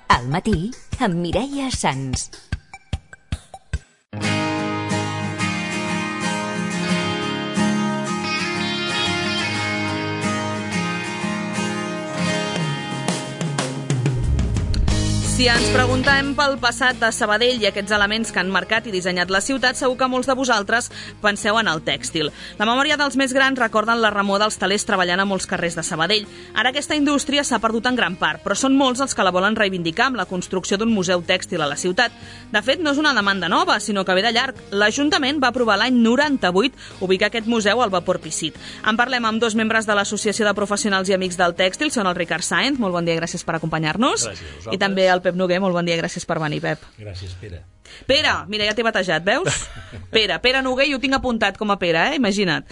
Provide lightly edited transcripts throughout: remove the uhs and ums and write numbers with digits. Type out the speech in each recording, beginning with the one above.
Al matí, amb Mireia Sans. Si ens preguntem pel passat de Sabadell i aquests elements que han marcat i dissenyat la ciutat, segur que molts de vosaltres penseu en el tèxtil. La memòria dels més grans recorden la remor dels telers treballant a molts carrers de Sabadell. Ara aquesta indústria s'ha perdut en gran part, però són molts els que la volen reivindicar amb la construcció d'un museu tèxtil a la ciutat. De fet, no és una demanda nova, sinó que ve de llarg. L'Ajuntament va aprovar l'any 98 ubicar aquest museu al Vapor Pissit. En parlem amb dos membres de l'Associació de Professionals i Amics del Tèxtil, són el Ricard Sáenz, molt bon dia, gràcies per acompanyar-nos. Gràcies. I també el Pep Noguer, molt bon dia, gràcies per venir, Pep. Gràcies, Pere. Pere, mira, ja t'he batejat, veus? Pere Noguer, jo ho tinc apuntat com a Pere, imagina't.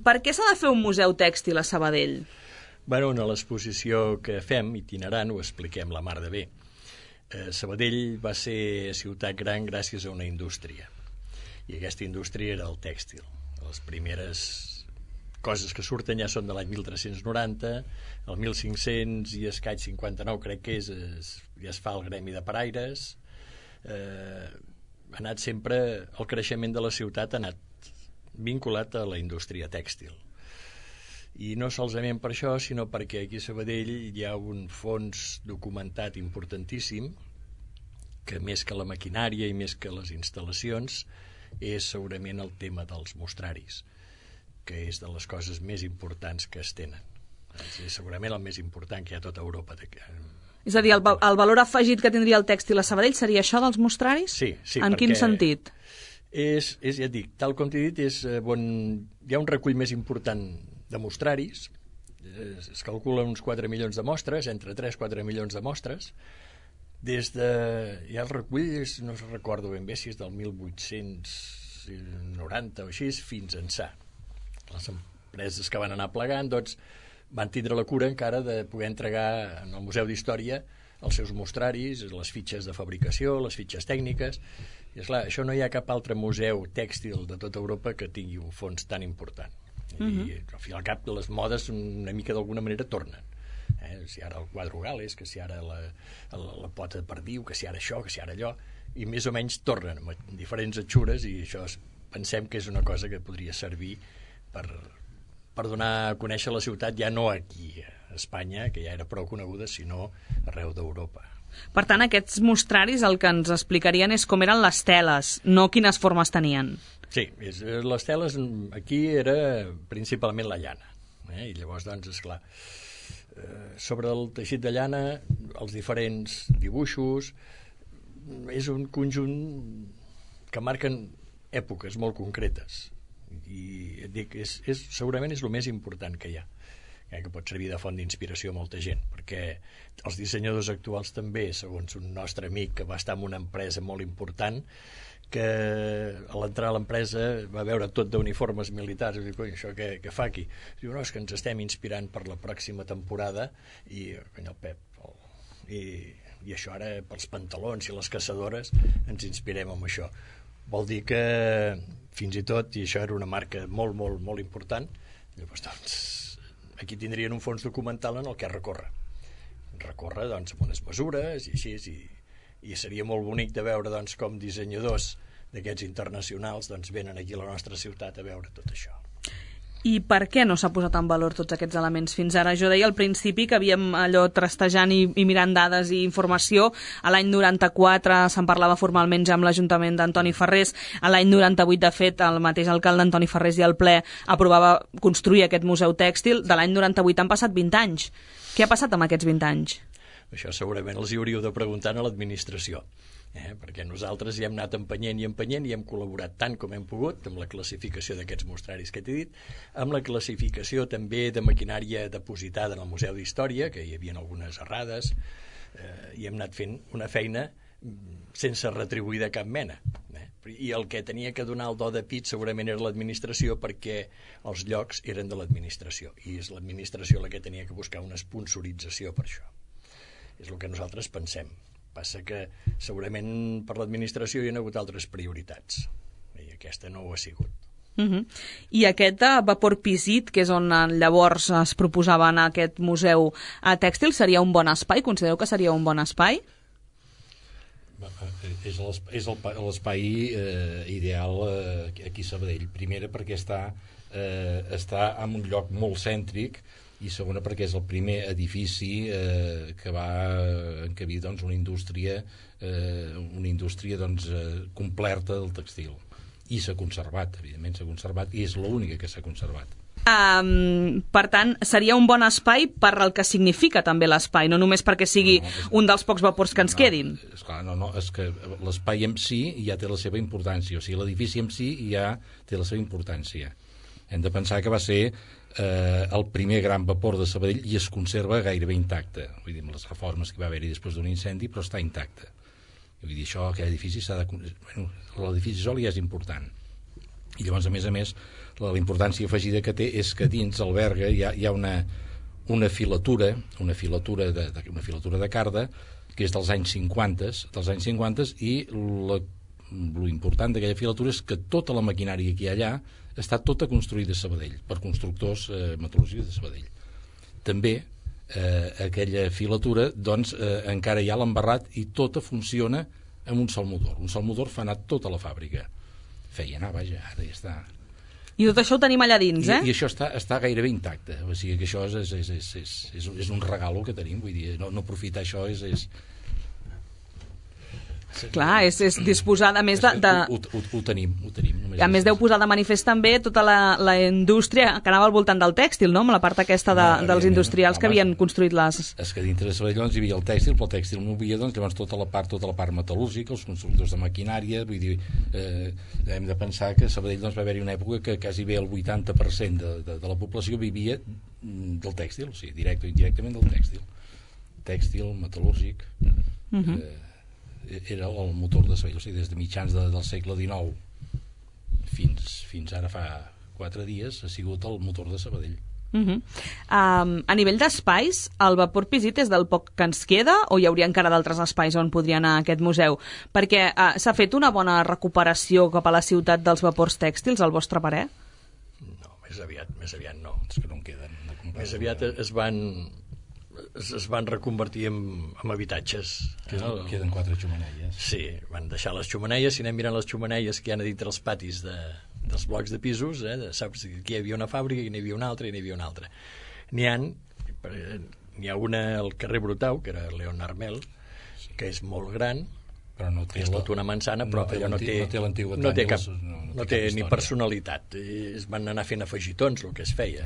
Per què s'ha de fer un museu tèxtil a Sabadell? Bueno, a l'exposició que fem, itinerant, ho expliquem la mar de bé. Sabadell va ser ciutat gran gràcies a una indústria. I aquesta indústria era el tèxtil. Les primeres coses que surten ja són de l'any 1390, el 1500 i escaig 59 crec que ja es fa el gremi de paraires. Ha anat sempre, el creixement de la ciutat ha anat vinculat a la indústria tèxtil. I no solament per això, sinó perquè aquí a Sabadell hi ha un fons documentat importantíssim que més que la maquinària i més que les instal·lacions és segurament el tema dels mostraris, que és de les coses més importants que es tenen. És segurament el més important que hi ha a tota Europa. És a dir, el valor afegit que tindria el tèxtil a Sabadell seria això dels mostraris? Sí. En quin sentit? Ja et dic, tal com t'he dit, hi ha un recull més important de mostraris, es calcula uns 4 milions de mostres, entre 3-4 milions de mostres, ja el recull, no recordo ben bé si és del 1890 o així, fins ençà. Les empreses que van anar plegant doncs, van tindre la cura encara de poder entregar en el Museu d'Història els seus mostraris, les fitxes de fabricació, les fitxes tècniques. I esclar, això no hi ha cap altre museu tèxtil de tota Europa que tingui un fons tan important. I al fi i al cap les modes una mica d'alguna manera tornen. Si ara el quadre Gales, que si ara la pota de perdiu, que si ara això, que si ara allò, i més o menys tornen amb diferents atxures, i això pensem que és una cosa que podria servir per donar a conèixer la ciutat, ja no aquí a Espanya, que ja era prou coneguda, sinó arreu d'Europa. Per tant, aquests mostraris el que ens explicarien és com eren les teles, no quines formes tenien. Sí, les teles aquí era principalment la llana. I llavors, doncs, esclar, sobre el teixit de llana, els diferents dibuixos, és un conjunt que marquen èpoques molt concretes. I et dic, segurament és el més important que hi ha, que pot servir de font d'inspiració a molta gent, perquè els dissenyadors actuals també, segons un nostre amic que va estar en una empresa molt important, que a l'entrar a l'empresa va veure tot d'uniformes militars i diu, això què fa aquí? Diu, no, és que ens estem inspirant per la pròxima temporada i el Pep i això ara pels pantalons i les caçadores ens inspirem en això. Vol dir que fins i tot, i això era una marca molt, molt, molt important, llavors, doncs, aquí tindrien un fons documental en el que recórrer, doncs, amb unes mesures i així, i seria molt bonic de veure, doncs, com dissenyadors d'aquests internacionals, doncs, venen aquí a la nostra ciutat a veure tot això. I per què no s'ha posat en valor tots aquests elements fins ara? Jo deia al principi que havíem allò trastejant i mirant dades i informació. A l'any 94 se'n parlava formalment ja amb l'Ajuntament d'Antoni Ferrés. A l'any 98, de fet, el mateix alcalde Antoni Ferrés i el ple aprovava construir aquest museu tèxtil. De l'any 98 han passat 20 anys. Què ha passat amb aquests 20 anys? Això segurament els hi hauríeu de preguntar a l'administració. Perquè nosaltres hi hem anat empenyent i hem col·laborat tant com hem pogut amb la classificació d'aquests mostraris que t'he dit, amb la classificació també de maquinària depositada en el Museu d'Història, que hi havia algunes errades, i hem anat fent una feina sense retribuir de cap mena. I el que tenia que donar el do de pit segurament era l'administració, perquè els llocs eren de l'administració, i és l'administració la que tenia que buscar una sponsorització per això. És el que nosaltres pensem. Passa que segurament per l'administració hi ha hagut altres prioritats i aquesta no ho ha sigut. I aquest vapor Pisit, que és on llavors es proposava en aquest museu tèxtil, seria un bon espai? Considereu que seria un bon espai? És l'espai ideal aquí a Sabadell. Primera, perquè està en un lloc molt cèntric, i segona, perquè és el primer edifici que va encabir una indústria completa del tèxtil. I s'ha conservat, evidentment s'ha conservat, i és l'única que s'ha conservat. Per tant, seria un bon espai per el que significa també l'espai, no només perquè sigui un dels pocs vapors que ens quedin. És que l'espai en si ja té la seva importància, o sigui, l'edifici en si ja té la seva importància. Hem de pensar que va ser el primer gran vapor de Sabadell i es conserva gairebé intacte. Vull dir, amb les reformes que va haver-hi després d'un incendi, però està intacte. Vull dir, això, aquell edifici s'ha de... l'edifici sol ja és important. I llavors, a més, la importància afegida que té és que dins alberga hi ha una filatura de carda que és dels anys 50, i l'important d'aquella filatura és que tota la maquinària que hi ha allà està tota construïda a Sabadell, per constructors metal·lúrgics de Sabadell. També aquella filatura encara hi ha l'embarrat i tota funciona amb un sol motor. Un sol motor fa anar tota la fàbrica. Feia anar, vaja, ara ja està. I tot això ho tenim allà dins, I això està gairebé intacte. O sigui que això és un regalo que tenim. Vull dir, no aprofitar això és... Clar, és disposar, a més de... Ho tenim. A més deu posar de manifest també tota la indústria que anava al voltant del tèxtil, no? Amb la part aquesta dels industrials que havien construït les... És que dintre de Sabadell hi havia el tèxtil, però el tèxtil no hi havia, llavors tota la part metal·lúrgica, els constructors de maquinària, vull dir, hem de pensar que a Sabadell va haver-hi una època que quasi bé el 80% de la població vivia del tèxtil, o sigui, directe o indirectament del tèxtil. Tèxtil, metal·lúrgic... era el motor de Sabadell, o sigui, des de mitjans del segle XIX fins ara fa 4 dies ha sigut el motor de Sabadell. A nivell d'espais, el vapor Pisit és del poc que ens queda o hi hauria encara d'altres espais on podria anar aquest museu? Perquè s'ha fet una bona recuperació cap a la ciutat dels vapors tèxtils, al vostre parer? No, més aviat no. És que no en queden. Més aviat es van reconvertir en habitatges. Queden 4 xemeneies. Sí, van deixar les xemeneies. Si anem mirant les xemeneies que hi ha a dintre els patis dels blocs de pisos, saps que aquí hi havia una fàbrica, i n'hi havia una altra, i n'hi havia una altra. N'hi ha una al carrer Brutau, que era Leonard Mel, que és molt gran, però no té una manzana, però allò no té ni personalitat. Es van anar fent afegitons, el que es feia.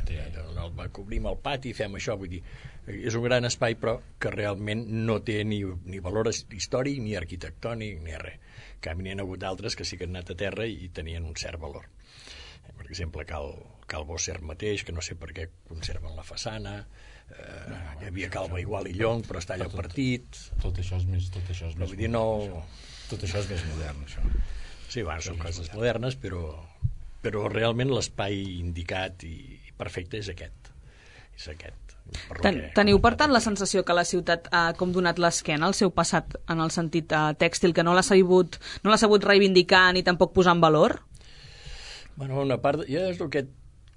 Cobrim el pati, fem això, vull dir, és un gran espai, però que realment no té ni valor històric, ni arquitectònic, ni res. En canvi, n'hi ha hagut d'altres que sí que han anat a terra i tenien un cert valor. Per exemple, Cal Bosser mateix, que no sé per què conserven la façana, hi havia Cal Igual i Llong, però està allò partit. Tot això és més modern, això. Sí, són coses modernes, però realment l'espai indicat i perfecte és aquest. Teniu, per tant, la sensació que la ciutat ha com donat l'esquena al seu passat en el sentit tèxtil, que no l'ha sabut reivindicar ni tampoc posar en valor? Bueno, una part, ja és el que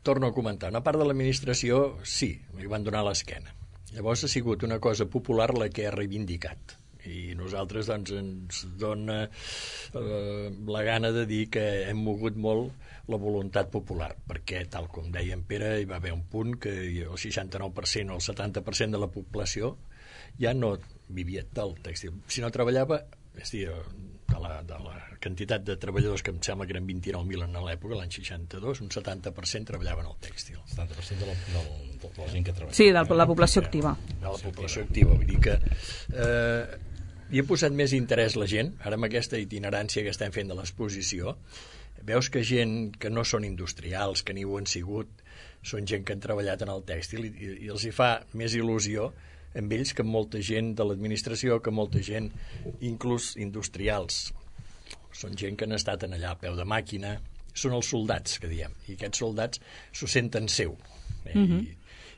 torno a comentar, una part de l'administració sí, li van donar l'esquena. Llavors ha sigut una cosa popular la que ha reivindicat. I nosaltres ens dona la gana de dir que hem mogut molt la voluntat popular, perquè, tal com deia en Pere, hi va haver un punt que el 69% o el 70% de la població ja no vivia del tèxtil. Si no treballava, és dir, de la quantitat de treballadors, que em sembla que eren 29.000 en l'època, l'any 62, un 70% treballaven al tèxtil. 70% de la gent que treballa. Sí, de la població activa. De la població activa, vull dir que hi ha posat més interès la gent, ara amb aquesta itinerància que estem fent de l'exposició, veus que gent que no són industrials, que ni ho han sigut, són gent que han treballat en el tèxtil i els hi fa més il·lusió amb ells que amb molta gent de l'administració, que molta gent, inclús industrials. Són gent que han estat allà a peu de màquina, són els soldats, que diem, i aquests soldats s'ho senten seu.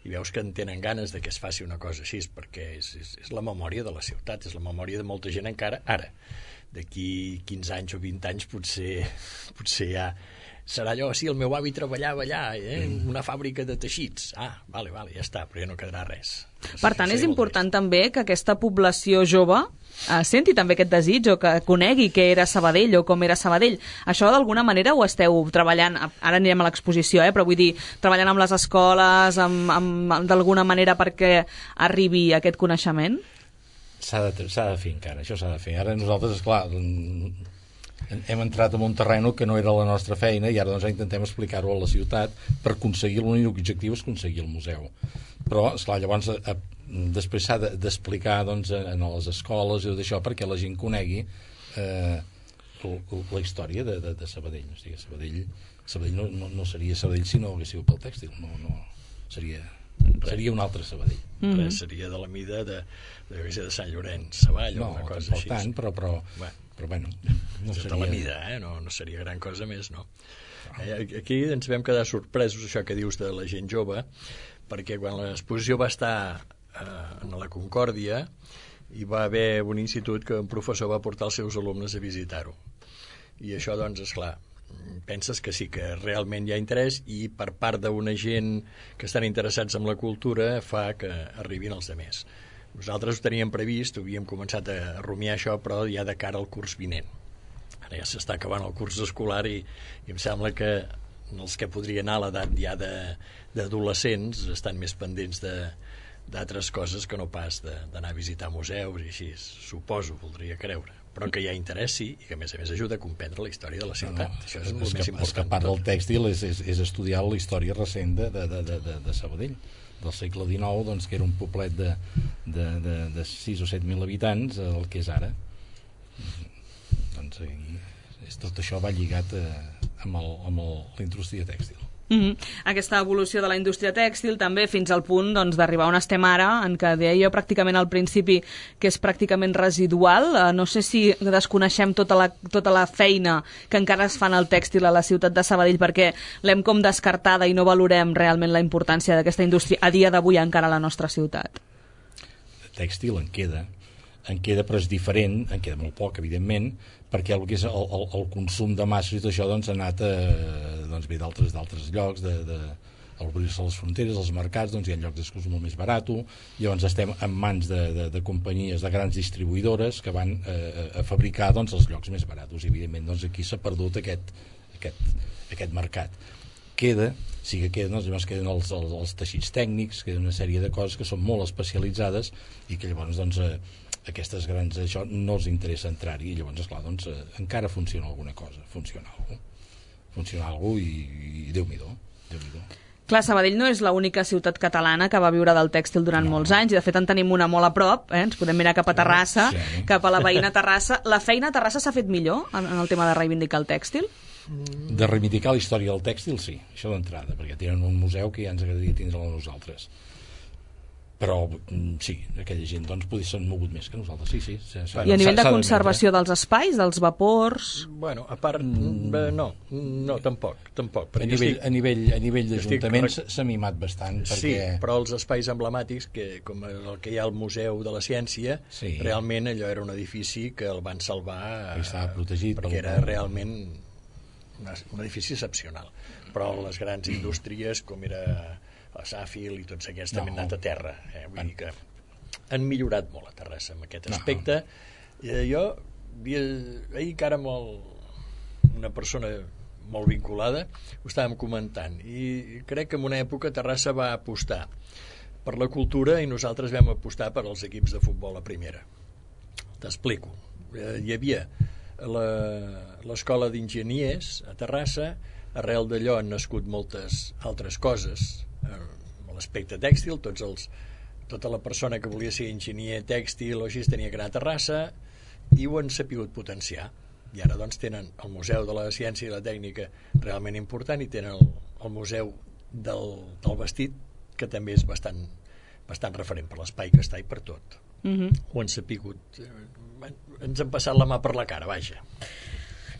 i veus que en tenen ganes de que es faci una cosa així, perquè és la memòria de la ciutat, és la memòria de molta gent encara ara. D'aquí 15 anys o 20 anys potser ja serà allò, sí, el meu avi treballava allà, en una fàbrica de teixits. Vale, ja està, però ja no quedarà res. Per tant, és important també que aquesta població jove senti també aquest desig o que conegui què era Sabadell o com era Sabadell. Això d'alguna manera ho esteu treballant, ara anirem a l'exposició, però vull dir, treballant amb les escoles, d'alguna manera perquè arribi aquest coneixement? S'ha de fer encara, això s'ha de fer. Ara nosaltres, esclar, hem entrat en un terreny que no era la nostra feina i ara doncs intentem explicar-ho a la ciutat per aconseguir l'únic objectiu és aconseguir el museu. Però, esclar, llavors després s'ha d'explicar doncs, en les escoles i tot això perquè la gent conegui la història de Sabadell. O sigui, Sabadell no seria Sabadell si no hagués sigut pel tèxtil. No, seria un altre Sabadell. Seria de la mida de Sant Llorenç Savall o una cosa així. Tant, però bueno, no seria... De la mida, no seria gran cosa més, no? Aquí ens vam quedar sorpresos, això que dius de la gent jove, perquè quan l'exposició va estar a la Concòrdia hi va haver un institut que un professor va portar els seus alumnes a visitar-ho. I això, doncs, esclar, penses que sí, que realment hi ha interès i per part d'una gent que estan interessats en la cultura fa que arribin els altres. Nosaltres ho teníem previst, havíem començat a rumiar això, però ja de cara al curs vinent. Ara ja s'està acabant el curs escolar i em sembla que els que podrien anar a l'edat ja d'adolescents estan més pendents d'altres coses que no pas d'anar a visitar museus i així, suposo, voldria creure. Però que hi ha interès, sí, i que a més ajuda a comprendre la història de la ciutat. Això és el més important. És que part del tèxtil és estudiar la història recent de Sabadell, del segle XIX, doncs, que era un poblet de 6 o 7 mil habitants, el que és ara. Doncs tot això va lligat amb la indústria tèxtil. Aquesta evolució de la indústria tèxtil també fins al punt d'arribar on estem ara, en què deia jo pràcticament al principi que és pràcticament residual. No sé si desconeixem tota la feina que encara es fa en el tèxtil a la ciutat de Sabadell perquè l'hem com descartada i no valorem realment la importància d'aquesta indústria a dia d'avui encara a la nostra ciutat. Tèxtil en queda, però és diferent, en queda molt poc, evidentment, perquè el que és el consum de masses i tot això doncs, ha anat ve d'altres llocs, obrir-se les fronteres, els mercats, doncs hi ha llocs d'excurs molt més barat, llavors estem en mans de companyies, de grans distribuïdores que van a fabricar doncs, els llocs més barats. Evidentment, doncs, aquí s'ha perdut aquest mercat. Queden els teixits tècnics, queden una sèrie de coses que són molt especialitzades i que llavors doncs, aquestes grans això no els interessa entrar-hi i llavors esclar, doncs, encara funciona alguna cosa, funciona alguna i Déu-n'hi-do. Clar, Sabadell no és l'única ciutat catalana que va viure del tèxtil durant molts anys i de fet en tenim una molt a prop, ens podem mirar cap a Terrassa, cap a la veïna Terrassa. La feina a Terrassa s'ha fet millor en el tema de reivindicar el tèxtil? De reivindicar la història del tèxtil, sí, això d'entrada, perquè tenen un museu que ja ens agradaria tindre-la a nosaltres. Però sí, aquella gent doncs potser s'han mogut més que nosaltres, sí. I a nivell de conservació dels espais, dels vapors? Bueno, a part, no, tampoc. A nivell d'Ajuntament s'ha mimat bastant. Sí, però els espais emblemàtics, com el que hi ha al Museu de la Ciència, realment allò era un edifici que el van salvar perquè era realment un edifici excepcional. Però les grans indústries, com era la Safil i tots aquests també han anat a terra. Vull dir que han millorat molt a Terrassa en aquest aspecte. Jo ahir encara amb una persona molt vinculada ho estàvem comentant i crec que en una època Terrassa va apostar per la cultura i nosaltres vam apostar per als equips de futbol a primera. T'explico. Hi havia l'escola d'enginyers a Terrassa, arrel d'allò han nascut moltes altres coses, l'aspecte tèxtil, tota la persona que volia ser enginyer tèxtil o així tenia que anar a Terrassa i ho han sapigut potenciar i ara doncs tenen el Museu de la Ciència i la Tècnica realment important i tenen el Museu del Vestit que també és bastant referent per l'espai que està i per tot. Ho han sapigut, ens han passat la mà per la cara, vaja.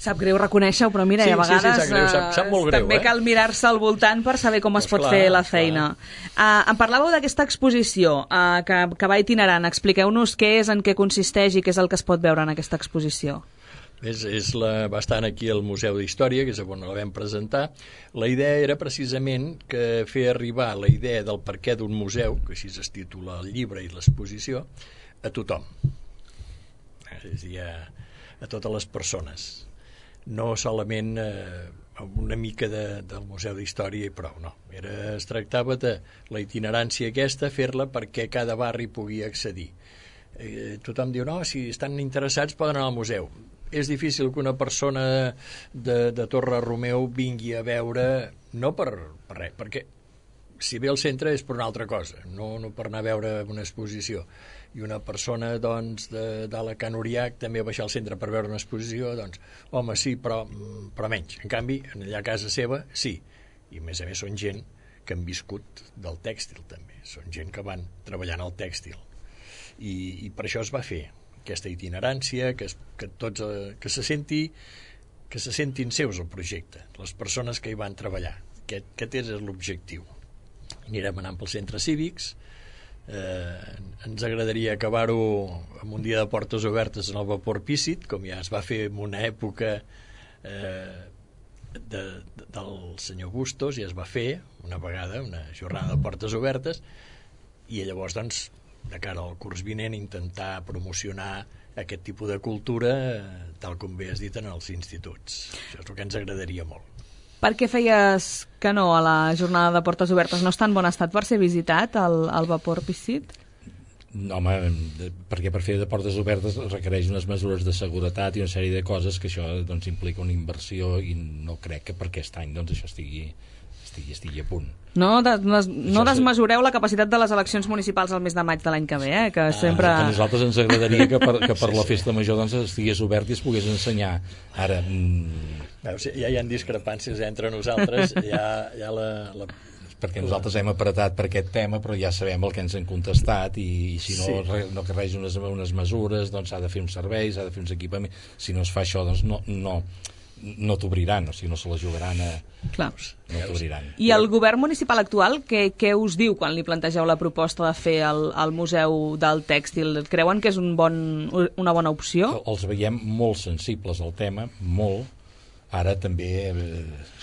Sap greu reconèixer-ho, però mira, sí, a vegades sap greu, sap molt greu, també cal mirar-se al voltant per saber com es pot fer la feina. Em parlàveu d'aquesta exposició que va itinerant. Expliqueu-nos què és, en què consisteix i què és el que es pot veure en aquesta exposició. Va estar aquí al Museu d'Història, que és on la vam presentar. La idea era precisament que fer arribar la idea del perquè d'un museu, que així es titula el llibre i l'exposició, a tothom. És a dir, a totes les persones. No solament una mica del Museu d'Història i prou, no. Es tractava de la itinerància aquesta, fer-la perquè cada barri pugui accedir. Tothom diu, no, si estan interessats poden anar al museu. És difícil que una persona de Torre Romeu vingui a veure, no per res, perquè si ve al centre és per una altra cosa, no per anar a veure una exposició. I una persona, doncs, d'Alacant Oriac també baixar al centre per veure una exposició, doncs, home, sí, però menys. En canvi, allà a casa seva, sí. I a més són gent que han viscut del tèxtil, també. Són gent que van treballant al tèxtil. I per això es va fer aquesta itinerància, que se sentin seus el projecte, les persones que hi van treballar. Aquest és l'objectiu. Anirem anant pels centres cívics, ens agradaria acabar-ho amb un dia de portes obertes en el vapor Pícit, com ja es va fer en una època del senyor Bustos, ja es va fer una vegada, una jornada de portes obertes, i llavors, doncs, de cara al curs vinent, intentar promocionar aquest tipus de cultura, tal com bé has dit, en els instituts. Això és el que ens agradaria molt. Per què feies que no a la jornada de portes obertes? No està en bon estat per ser visitat, el vapor Pícit? No, home, perquè per fer de portes obertes requereix unes mesures de seguretat i una sèrie de coses que això doncs, implica una inversió, i no crec que per aquest any doncs, això estigui a punt. No desmesureu la capacitat de les eleccions municipals al mes de maig de l'any que ve, que sempre... A nosaltres ens agradaria que per la festa major doncs, estigués obert i es pogués ensenyar. Ara... Veus, ja hi ha discrepàncies entre nosaltres, perquè nosaltres hem apretat per aquest tema, però ja sabem el que ens han contestat, i si no carreix unes mesures, doncs s'ha de fer uns serveis, s'ha de fer uns equipaments. Si no es fa això, doncs no t'obriran, o sigui, no se la jugaran Clar. No t'obriran. I el govern municipal actual, què us diu quan li plantegeu la proposta de fer el Museu del Tèxtil? Creuen que és una bona opció? Els veiem molt sensibles al tema, molt. Ara també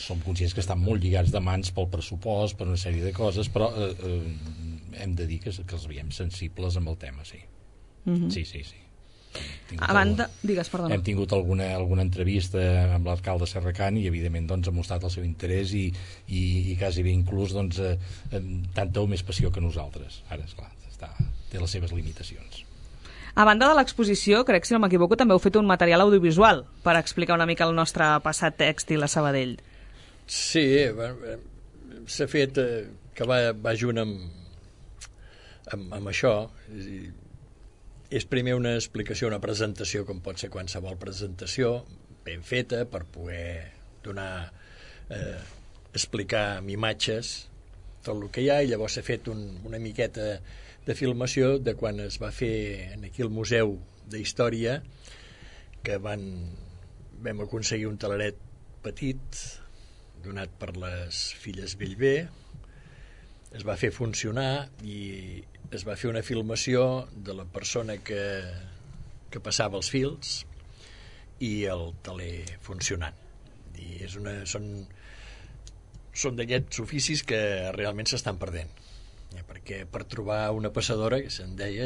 som conscients que estan molt lligats de mans pel pressupost, per una sèrie de coses, però hem de dir que els veiem sensibles amb el tema, sí. Sí. A banda, digues, perdona. Hem tingut alguna entrevista amb l'alcalde Serracant i evidentment doncs, ha mostrat el seu interès i quasi bé inclús doncs, tanta o més passió que nosaltres. Ara, esclar, té les seves limitacions. A banda de l'exposició, crec, si no m'equivoco, també heu fet un material audiovisual per explicar una mica el nostre passat tèxtil a Sabadell. Sí, s'ha fet que va junt amb això. És primer una explicació, una presentació, com pot ser qualsevol presentació, ben feta, per poder explicar amb imatges tot el que hi ha, i llavors s'ha fet una miqueta de filmació de quan es va fer aquí al Museu d'Història, que vam aconseguir un teleret petit, donat per les filles Bellver, es va fer funcionar i es va fer una filmació de la persona que passava els fils i el teler funcionant. I són d'aquests oficis que realment s'estan perdent, perquè per trobar una passadora, que se'n deia,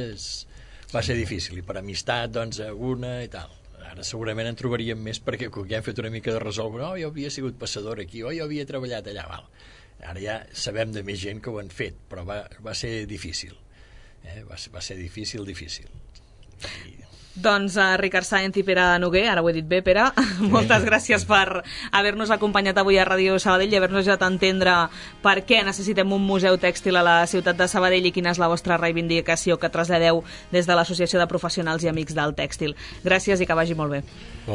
va ser difícil, i per amistat, doncs, una i tal. Ara segurament en trobaríem més, perquè com ja hem fet una mica de resoldre, jo havia sigut passadora aquí, jo havia treballat allà, val. Ara ja sabem de més gent que ho han fet, però va ser difícil. Va ser difícil. Doncs Ricard Sáenz i Pere Noguer, ara ho he dit bé, Pere, moltes gràcies per haver-nos acompanyat avui a Ràdio Sabadell i haver-nos ajut a entendre per què necessitem un museu tèxtil a la ciutat de Sabadell i quina és la vostra reivindicació que traslladeu des de l'Associació de Professionals i Amics del Tèxtil. Gràcies i que vagi molt bé.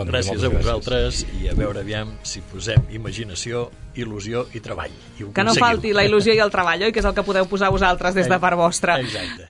Gràcies a vosaltres, i a veure aviam si posem imaginació, il·lusió i treball. Que no falti la il·lusió i el treball, oi? Que és el que podeu posar vosaltres des de part vostra. Exacte.